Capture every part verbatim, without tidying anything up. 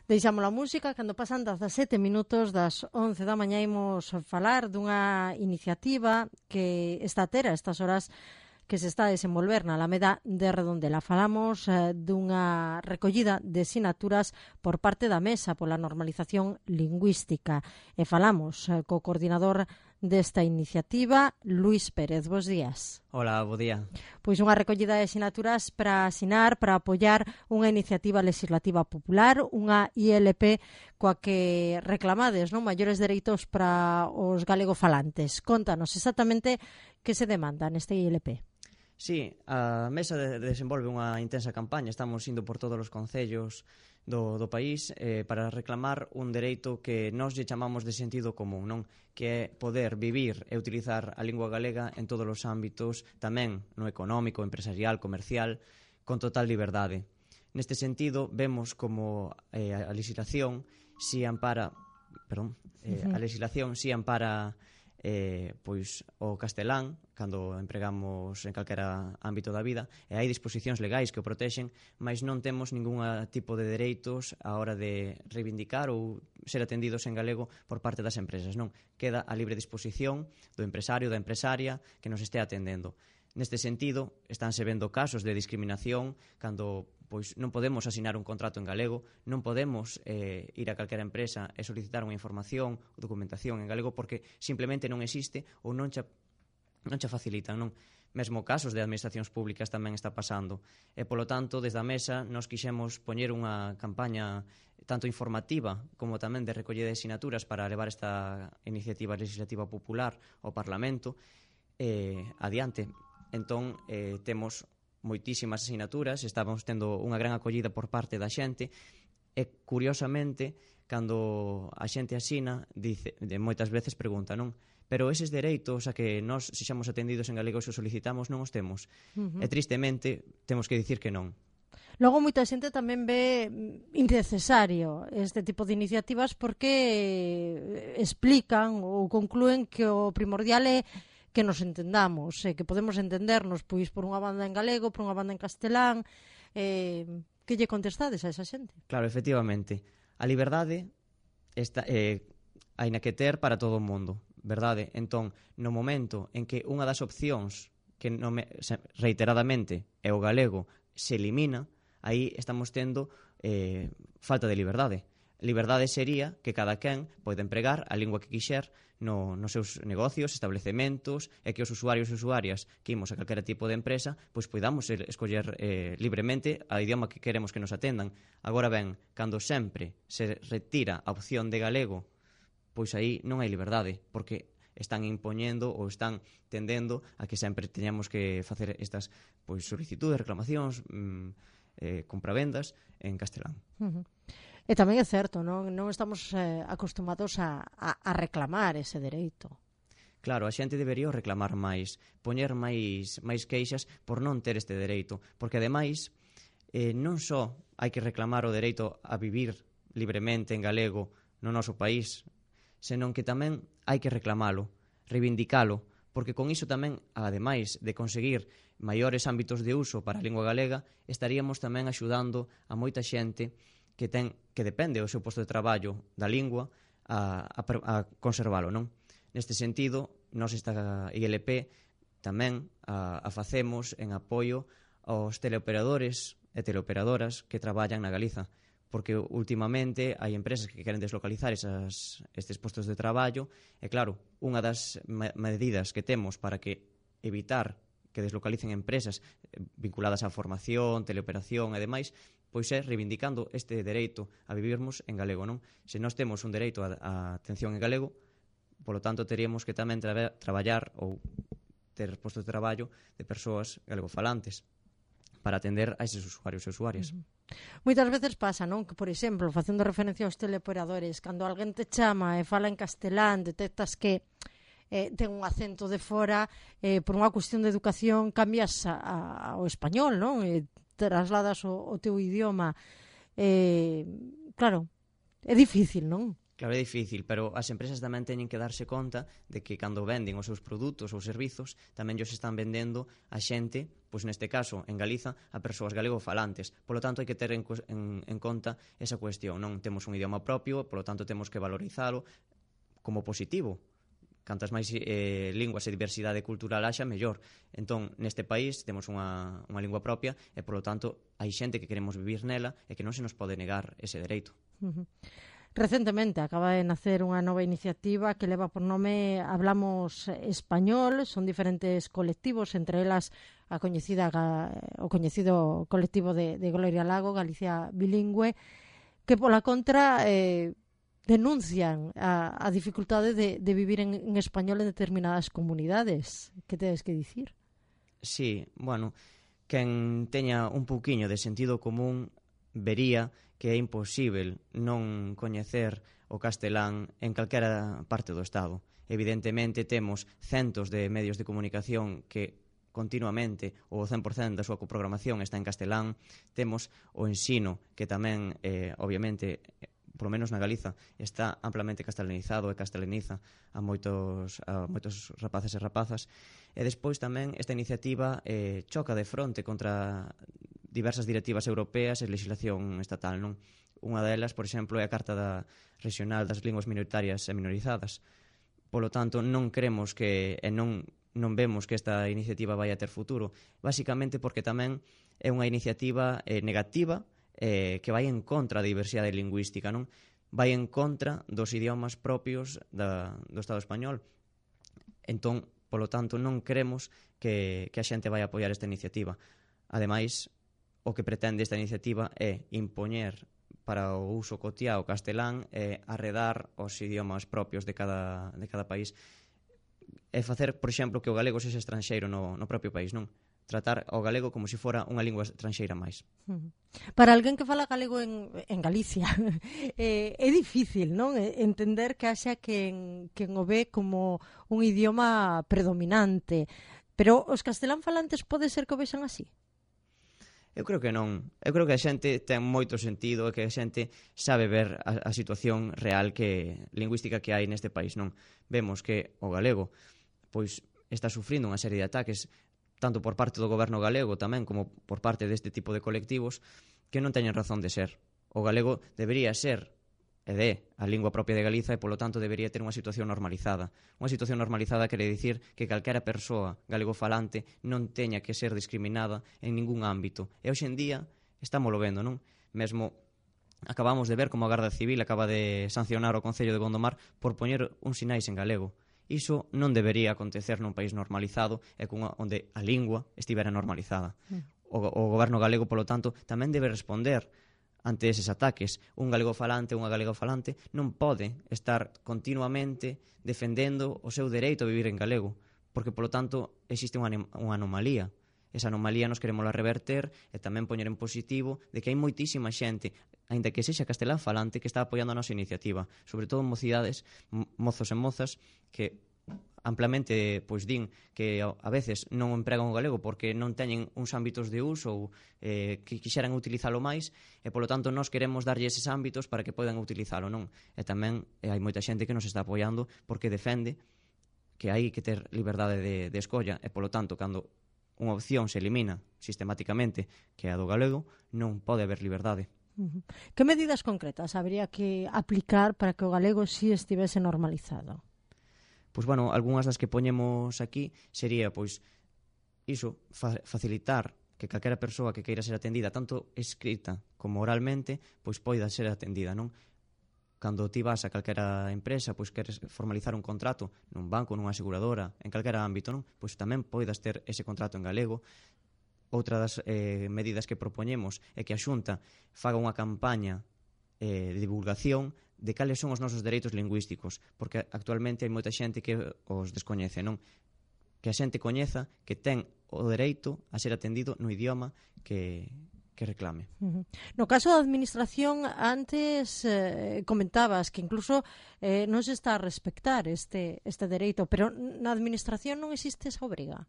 Deixamos a música, cando pasan dezasete minutos das once da mañá imos falar dunha iniciativa que está a ter a estas horas que se está a desenvolver na Alameda de Redondela. Falamos eh, dunha recollida de sinaturas por parte da Mesa pola Normalización Lingüística e falamos eh, co coordinador desta iniciativa, Luís Pérez. Bos días. Hola, bo día. Pois unha recollida de sinaturas para asinar, para apoiar unha iniciativa legislativa popular, unha I L P coa que reclamades, non, maiores dereitos para os galegofalantes. Contanos exactamente que se demanda neste I L P. Sí, a Mesa de, desenvolve unha intensa campaña. Estamos indo por todos os concellos do, do país eh, para reclamar un dereito que nós lle chamamos de sentido común, non? Que é poder vivir e utilizar a lingua galega en todos os ámbitos, tamén no económico, empresarial, comercial, con total liberdade. Neste sentido, vemos como eh, a legislación si ampara, perdón, eh, a legislación si ampara eh, pois o castelán cando empregamos en calquera ámbito da vida, e hai disposicións legais que o protexen, mas non temos ningún tipo de dereitos á hora de reivindicar ou ser atendidos en galego por parte das empresas, non? Queda a libre disposición do empresario, da empresaria que nos este atendendo. Neste sentido, estánse vendo casos de discriminación cando pois non podemos asinar un contrato en galego, non podemos eh, ir a calquera empresa e solicitar unha información ou documentación en galego porque simplemente non existe ou non cha, non cha facilitan, non? Mesmo casos de administracións públicas tamén está pasando. E, polo tanto, desde a Mesa nos quixemos poñer unha campaña tanto informativa como tamén de recollida de sinaturas para levar esta iniciativa legislativa popular ao Parlamento eh, adiante. Entón, eh, temos moitísimas asinaturas, estamos tendo unha gran acollida por parte da xente e, curiosamente, cando a xente asina, dice, de moitas veces pregunta, non? Pero eses dereitos a que nós sexamos atendidos en galego se os solicitamos non os temos. Uh-huh. E, tristemente, temos que dicir que non. Logo, moita xente tamén ve innecesario este tipo de iniciativas porque explican ou conclúen que o primordial é que nos entendamos, eh, que podemos entendernos pois por unha banda en galego, por unha banda en castelán. Eh, que lle contestades a esa xente? Claro, efectivamente. A liberdade está, eh, hai na que ter para todo o mundo, verdade? Entón, no momento en que unha das opcións que non me, reiteradamente é o galego se elimina, aí estamos tendo eh, falta de liberdade. Liberdade sería que cada quen pode empregar a lingua que quixer no, nos seus negocios, establecementos, e que os usuarios e usuarias que imos a calquera tipo de empresa pois podamos escoller eh, libremente a idioma que queremos que nos atendan. Agora ben, cando sempre se retira a opción de galego, pois aí non hai liberdade, porque están impoñendo ou están tendendo a que sempre teñamos que facer estas pois solicitudes, reclamacións, mmm, eh, compravendas en castelán. Uh-huh. E tamén é certo, non, non estamos eh, acostumados a, a, a reclamar ese dereito. Claro, a xente debería reclamar máis, poñer máis, máis queixas por non ter este dereito, porque ademais eh, non só hai que reclamar o dereito a vivir libremente en galego no noso país, senón que tamén hai que reclamalo, reivindicalo, porque con iso tamén, ademais de conseguir maiores ámbitos de uso para a lingua galega, estaríamos tamén axudando a moita xente que ten que depende do seu posto de traballo da lingua a, a, a conservalo, non? Neste sentido, nós esta I L P tamén a, a facemos en apoio aos teleoperadores e teleoperadoras que traballan na Galiza, porque últimamente hai empresas que queren deslocalizar esas, estes postos de traballo e claro, unha das medidas que temos para que evitar que deslocalicen empresas vinculadas á formación, teleoperación e demais, pois é reivindicando este dereito a vivirmos en galego, non? Se nós temos un dereito a, a atención en galego, polo tanto, teríamos que tamén tra- traballar ou ter postos de traballo de persoas galegofalantes para atender a eses usuarios e usuarias. Uh-huh. Moitas veces pasa, non? Que, por exemplo, facendo referencia aos teleoperadores, cando alguén te chama e fala en castelán, detectas que eh, ten un acento de fora, eh, por unha cuestión de educación cambias a, a, ao español, non? E trasladas o, o teu idioma. Eh, claro, é difícil, non? Claro, é difícil, pero as empresas tamén teñen que darse conta de que cando venden os seus produtos ou servizos tamén os están vendendo a xente, pois neste caso, en Galiza, a persoas galegofalantes. Polo tanto, hai que ter en, en, en conta esa cuestión. Non temos un idioma propio, polo tanto, temos que valorizalo como positivo. Cantas máis eh, linguas e diversidade cultural haxa, mellor. Entón, neste país temos unha, unha lingua propia e, polo tanto, hai xente que queremos vivir nela e que non se nos pode negar ese dereito. Uh-huh. Recentemente acaba de nacer unha nova iniciativa que leva por nome Hablamos Español. Son diferentes colectivos, entre elas a coñecida, o coñecido colectivo de, de Gloria Lago, Galicia Bilingüe, que pola contra eh, denuncian a, a dificultade de, de vivir en, en español en determinadas comunidades. Que tedes que dicir? Sí, bueno, quen teña un pouquiño de sentido común vería que é imposível non coñecer o castelán en calquera parte do Estado. Evidentemente temos centos de medios de comunicación que continuamente o cen por cento da súa coprogramación está en castelán. Temos o ensino que tamén, eh, obviamente, polo menos na Galiza, está amplamente castelanizado e castelaniza a moitos, a moitos rapaces e rapazas. E despois tamén esta iniciativa eh, choca de fronte contra diversas directivas europeas e legislación estatal, non? Unha delas, por exemplo, é a Carta da Regional das Linguas Minoritarias e Minorizadas. Polo tanto, non creemos que e non non vemos que esta iniciativa vai a ter futuro, basicamente porque tamén é unha iniciativa eh, negativa eh, que vai en contra da diversidade lingüística, non? Vai en contra dos idiomas propios da, do Estado español. Entón, polo tanto, non creemos que, que a xente vai apoiar esta iniciativa. Ademais, o que pretende esta iniciativa é impoñer para o uso cotiá o castelán e arredar os idiomas propios de cada, de cada país e facer, por exemplo, que o galego sexa estranxeiro no, no propio país, non? Tratar o galego como se fora unha lingua estranxeira máis. Para alguén que fala galego en, en Galicia eh, é difícil, non? Entender que haxa quen, quen o ve como un idioma predominante, pero os castelán falantes pode ser que o vexan así? Eu creo que non. Eu creo que a xente ten moito sentido e que a xente sabe ver a, a situación real que lingüística que hai neste país, non? Vemos que o galego pois está sufrindo unha serie de ataques tanto por parte do goberno galego tamén como por parte deste tipo de colectivos que non teñen razón de ser. O galego debería ser e de a lingua propia de Galiza e, polo tanto, debería ter unha situación normalizada. Unha situación normalizada quere dicir que calquera persoa galegofalante non teña que ser discriminada en ningún ámbito. E hoxe en día estámoslo vendo, non? Mesmo acabamos de ver como a Garda Civil acaba de sancionar o Concello de Gondomar por poñer uns sinais en galego. Iso non debería acontecer nun país normalizado e cunha, onde a lingua estivera normalizada. O, o goberno galego, polo tanto, tamén debe responder ante eses ataques. Un galegofalante, unha galegofalante non pode estar continuamente defendendo o seu dereito a vivir en galego, porque, polo tanto, existe unha, unha anomalía. Esa anomalía nos queremos reverter e tamén poñer en positivo de que hai moitísima xente, aínda que sexa castelán falante, que está apoiando a nosa iniciativa, sobre todo mocidades, mozos e mozas, que amplamente pois din que a veces non empregan o galego porque non teñen uns ámbitos de uso ou eh, que quixeran utilizalo máis e, polo tanto, nós queremos darlle eses ámbitos para que podan utilizalo, non? E tamén eh, hai moita xente que nos está apoiando porque defende que hai que ter liberdade de, de escolla e, polo tanto, cando unha opción se elimina sistemáticamente, que é a do galego, non pode haber liberdade. Uh-huh. Que medidas concretas habría que aplicar para que o galego si estivese normalizado? Pois, bueno, algunhas das que poñemos aquí sería, pois, iso, fa- facilitar que calquera persoa que queira ser atendida, tanto escrita como oralmente, pois poida ser atendida, non? Cando ti vas a calquera empresa, pois queres formalizar un contrato nun banco, nunha aseguradora, en calquera ámbito, non? Pois tamén poidas ter ese contrato en galego. Outra das eh, medidas que propoñemos é que a Xunta faga unha campaña eh, de divulgación de cales son os nosos dereitos lingüísticos, porque actualmente hai moita xente que os descoñece, non? Que a xente coñeza que ten o dereito a ser atendido no idioma que, que reclame. Uh-huh. No caso da administración, antes eh, comentabas que incluso eh, non se está a respectar este, este dereito, pero na administración non existe esa obriga?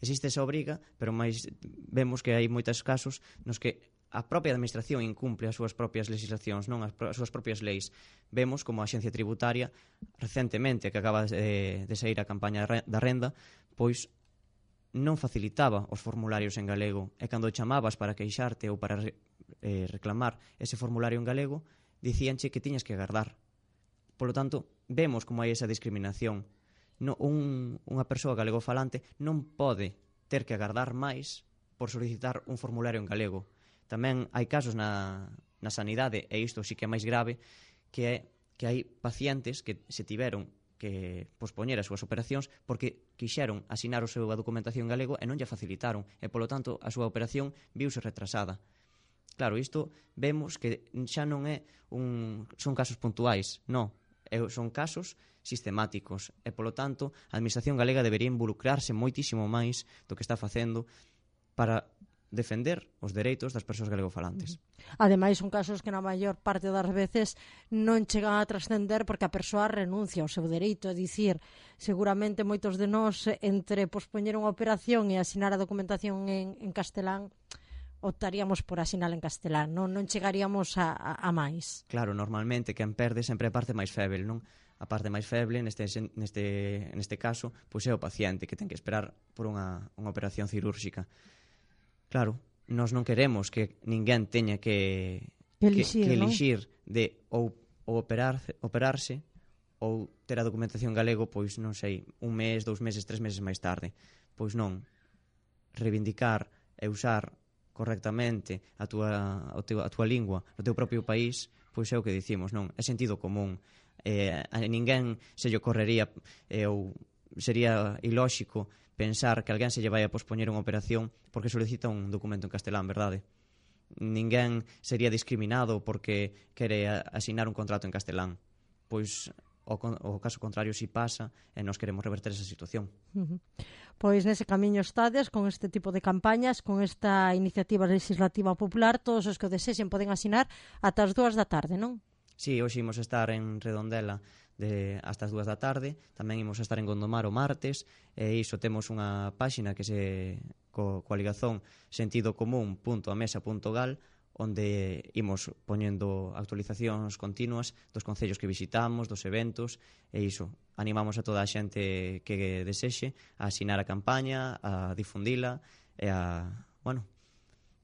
Existe esa obriga, pero máis vemos que hai moitos casos nos que a propia administración incumple as súas propias legislacións, non as, as súas propias leis. Vemos como a Axencia Tributaria, recentemente, que acaba de, de sair a campaña da renda, pois non facilitaba os formularios en galego, e cando chamabas para queixarte ou para re, eh, reclamar ese formulario en galego, dicíanche que tiñas que agardar. Polo tanto, vemos como hai esa discriminación. No, un, unha persoa galegofalante non pode ter que agardar máis por solicitar un formulario en galego. Tamén hai casos na, na sanidade, e isto sí que é máis grave, que é que hai pacientes que se tiveron que pospoñer as súas operacións porque quixeron asinar o seu a documentación en galego e non lle facilitaron, e polo tanto a súa operación viuse retrasada. Claro, isto vemos que xa non é un, son casos puntuais, non, son casos sistemáticos, e polo tanto a administración galega debería involucrarse moitísimo máis do que está facendo para defender os dereitos das persoas galegofalantes. Ademais, son casos que na maior parte das veces non chegan a trascender porque a persoa renuncia ao seu dereito. É dicir, seguramente moitos de nós, entre pospoñer unha operación e asinar a documentación en, en castelán, optaríamos por asinar en castelán, non, non chegaríamos a, a, a máis. Claro, normalmente quen perde sempre é a parte máis feble, non? A parte máis feble, neste, neste, neste caso, pois é o paciente que ten que esperar por unha, unha operación cirúrxica. Claro, nós non queremos que ninguén teña que, que elixir, que, que elixir de ou, ou operar, operarse ou ter a documentación galego, pois non sei, un mes, dous meses, tres meses máis tarde. Pois non, reivindicar e usar correctamente a túa, a teu, a túa lingua no teu propio país, pois é o que dicimos, non? É sentido común. Eh, a ninguén se lle ocorrería eh, ou sería ilóxico pensar que alguén se lle vai a pospoñer unha operación porque solicita un documento en castelán, verdade? Ninguén sería discriminado porque quere asinar un contrato en castelán. Pois o, o caso contrario si pasa e nós queremos reverter esa situación. Uh-huh. Pois nese camiño estades con este tipo de campañas, con esta iniciativa legislativa popular. Todos os que o desexen poden asinar ata as dúas da tarde, non? Si, sí, hoxe imos estar en Redondela de hasta as dúas da tarde, tamén imos estar en Gondomar o martes, e iso temos unha páxina que se co, coa ligazón sentido común punto a mesa punto gal, onde imos poñendo actualizacións continuas dos concellos que visitamos, dos eventos, e iso, animamos a toda a xente que desexe a asinar a campaña, a difundila e a, bueno,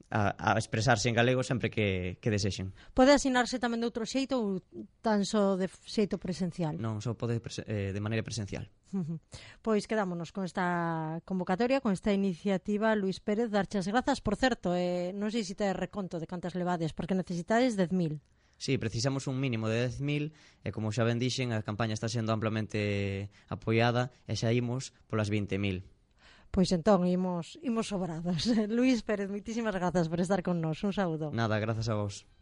A, a expresarse en galego sempre que, que desexen. Pode asinarse tamén de outro xeito ou tan só de xeito presencial? Non, só pode eh, de maneira presencial. Uh-huh. Pois quedámonos con esta convocatoria, con esta iniciativa. Luís Pérez, darche as grazas. Por certo, eh, non sei se te reconto de cantas levades, porque necesitades dez mil. Sí, precisamos un mínimo de dez mil, e como xa ben dixen, a campaña está sendo amplamente apoiada e xa imos polas vinte mil. Pois entón, imos, imos sobrados. Luís Pérez, moitísimas grazas por estar con nós. Un saúdo. Nada, grazas a vos.